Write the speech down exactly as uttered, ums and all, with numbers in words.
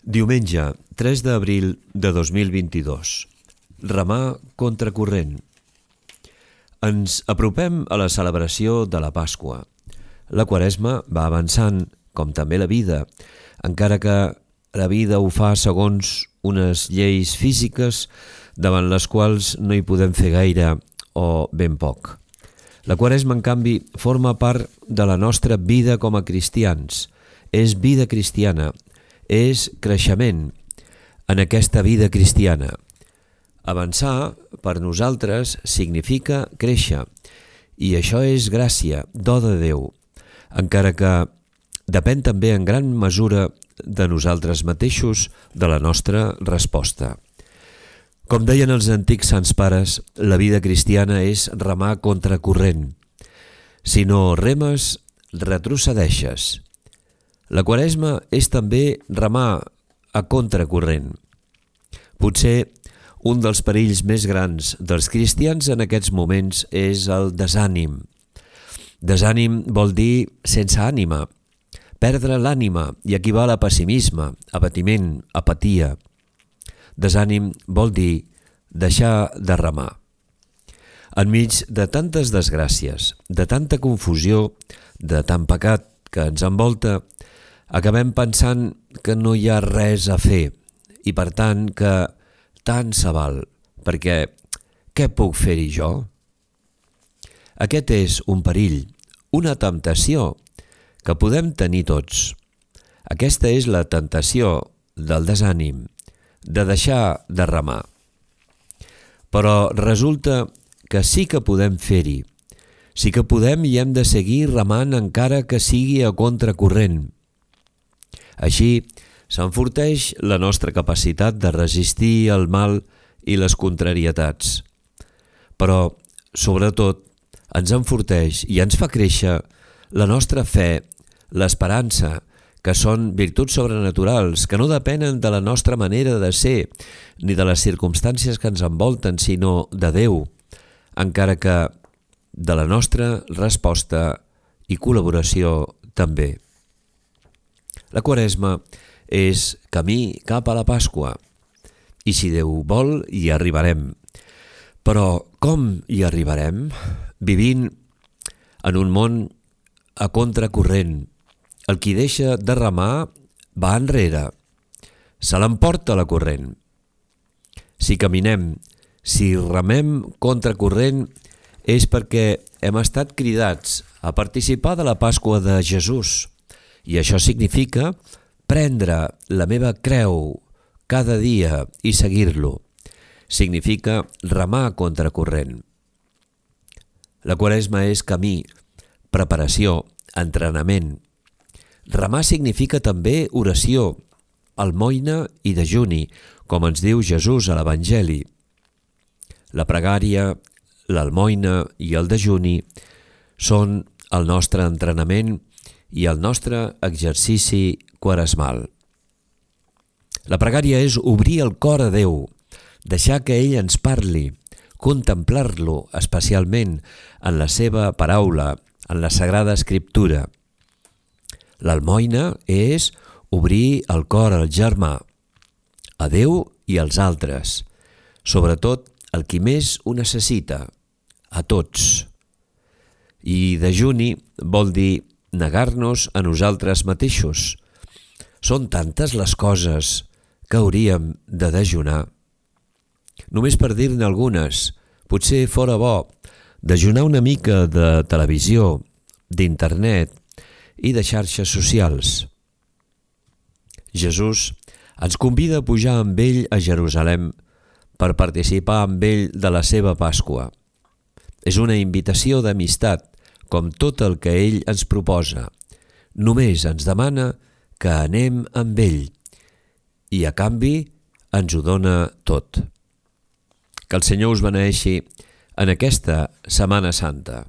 Diumenge, tres d'abril de dos mil vint-i-dos. Remar contracorrent. Ens apropem a la celebració de la Pasqua. La Quaresma va avançant, com també la vida, encara que la vida ho fa segons unes lleis físiques davant les quals no hi podem fer gaire o ben poc. La Quaresma, en canvi, forma part de la nostra vida com a cristians. És vida cristiana, és creixement en aquesta vida cristiana. Avançar, per nosaltres, significa créixer, i això és gràcia, do de Déu, encara que depèn també en gran mesura de nosaltres mateixos, de la nostra resposta. Com deien els antics sants pares, la vida cristiana és remar contracorrent. Si no remes, retrocedeixes. La Quaresma és també remar a contracorrent. Potser un dels perills més grans dels cristians en aquests moments és el desànim. Desànim vol dir sense ànima, perdre l'ànima, i equival a pessimisme, abatiment, apatia. Desànim vol dir deixar de remar. Enmig de tantes desgràcies, de tanta confusió, de tant pecat que ens envolta, acabem pensant que no hi ha res a fer i, per tant, que tant se val, perquè què puc fer-hi jo? Aquest és un perill, una temptació que podem tenir tots. Aquesta és la tentació del desànim, de deixar de remar. Però resulta que sí que podem fer-hi, sí que podem i hem de seguir remant encara que sigui a contracorrent. Així s'enforteix la nostra capacitat de resistir el mal i les contrarietats. Però, sobretot, ens enforteix i ens fa créixer la nostra fe, l'esperança, que són virtuts sobrenaturals, que no depenen de la nostra manera de ser, ni de les circumstàncies que ens envolten, sinó de Déu, encara que de la nostra resposta i col·laboració també. La Quaresma és camí cap a la Pasqua, i si Déu vol hi arribarem. Però com hi arribarem? Vivint en un món a contracorrent. El qui deixa de remar va enrere, se l'emporta la corrent. Si caminem, si remem contracorrent, és perquè hem estat cridats a participar de la Pasqua de Jesús, i això significa prendre la meva creu cada dia i seguir-lo. Significa remar contracorrent. La Quaresma és camí, preparació, entrenament. Remar significa també oració, almoina i dejuni, com ens diu Jesús a l'Evangeli. La pregària, l'almoina i el dejuni són el nostre entrenament i el nostre exercici quaresmal. La pregària és obrir el cor a Déu, deixar que ell ens parli, contemplar-lo especialment en la seva paraula, en la Sagrada Escriptura. L'almoina és obrir el cor al germà, a Déu i als altres, sobretot el qui més ho necessita, a tots. I dejuni vol dir negar-nos a nosaltres mateixos. Són tantes les coses que hauríem de dejunar. Només per dir-ne algunes, potser fora bo dejunar una mica de televisió, d'internet i de xarxes socials. Jesús ens convida a pujar amb ell a Jerusalem per participar amb ell de la seva Pasqua. És una invitació d'amistat, com tot el que ell ens proposa. Només ens demana que anem amb ell i, a canvi, ens ho dona tot. Que el Senyor us beneeixi en aquesta Setmana Santa.